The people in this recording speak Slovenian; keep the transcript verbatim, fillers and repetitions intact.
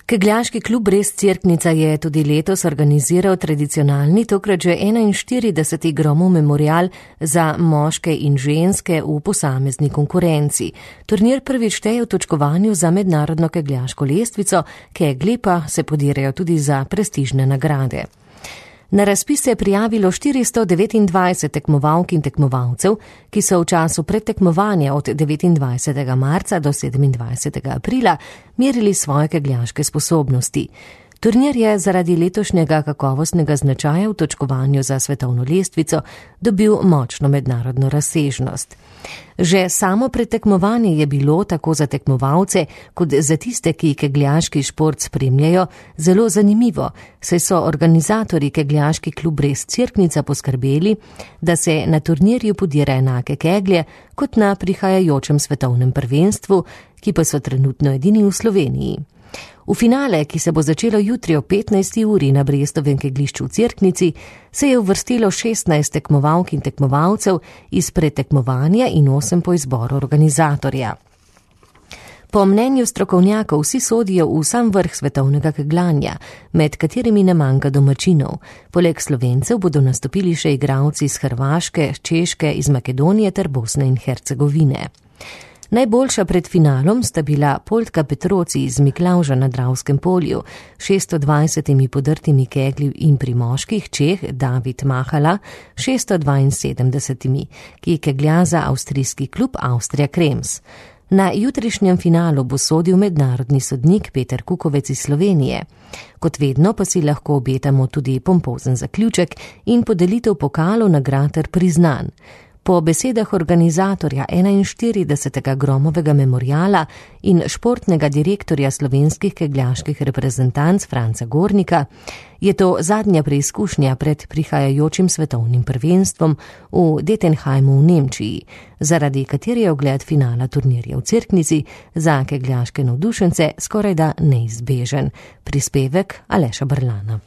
Kegljaški klub Brest-Cerknica je tudi letos organiziral tradicionalni, tokrat že enainštirideseti Gromov memorial za moške in ženske v posamezni konkurenci. Turnir prvič šteje v točkovanju za mednarodno kegljaško lestvico, kegli pa se podirajo tudi za prestižne nagrade. Na razpis se je prijavilo štiristo devetindvajset tekmovalk in tekmovalcev, ki so v času predtekmovanja od devetindvajsetega marca do sedemindvajsetega aprila merili svoje kegljaške sposobnosti. Turnir je zaradi letošnjega kakovostnega značaja v točkovanju za svetovno lestvico dobil močno mednarodno razsežnost. Že samo predtekmovanje je bilo tako za tekmovalce kot za tiste, ki kegljaški šport spremljajo, zelo zanimivo, saj so organizatorji Kegljaški klub Brest-Cerknica poskrbeli, da se na turnirju podira enake keglje kot na prihajajočem svetovnem prvenstvu, ki pa so trenutno edini v Sloveniji. V finale, ki se bo začelo jutri o petnajsti uri na Brestovem kegljišču v Cerknici, se je uvrstilo šestnajst tekmovalk in tekmovalcev iz predtekmovanja in osem po izboru organizatorja. Po mnenju strokovnjakov vsi sodijo v sam vrh svetovnega kegljanja, med katerimi ne manjka domačinov. Poleg Slovencev bodo nastopili še igralci iz Hrvaške, Češke, iz Makedonije ter Bosne in Hercegovine. Najboljša pred finalom sta bila Poldka Petroci iz Miklavža na Dravskem polju, šeststo dvajsetimi podrtimi keglji in pri moških Čeh David Mahala, šeststo dvainsedemdesetimi, ki keglja za avstrijski klub Austrija Krems. Na jutrišnjem finalu bo sodil mednarodni sodnik Peter Kukovec iz Slovenije. Kot vedno pa si lahko obetamo tudi pompozen zaključek in podelitev pokalov, nagrad ter priznanj. Po besedah organizatorja enainštiridesetega Gromovega memoriala in športnega direktorja slovenskih kegljaških reprezentanc Franca Gornika je to zadnja preizkušnja pred prihajajočim svetovnim prvenstvom v Dettenheimu v Nemčiji, zaradi katere je ogled finala turnirja v Cerknici za kegljaške navdušence skorajda neizbežen. Prispevek Aleša Brlana.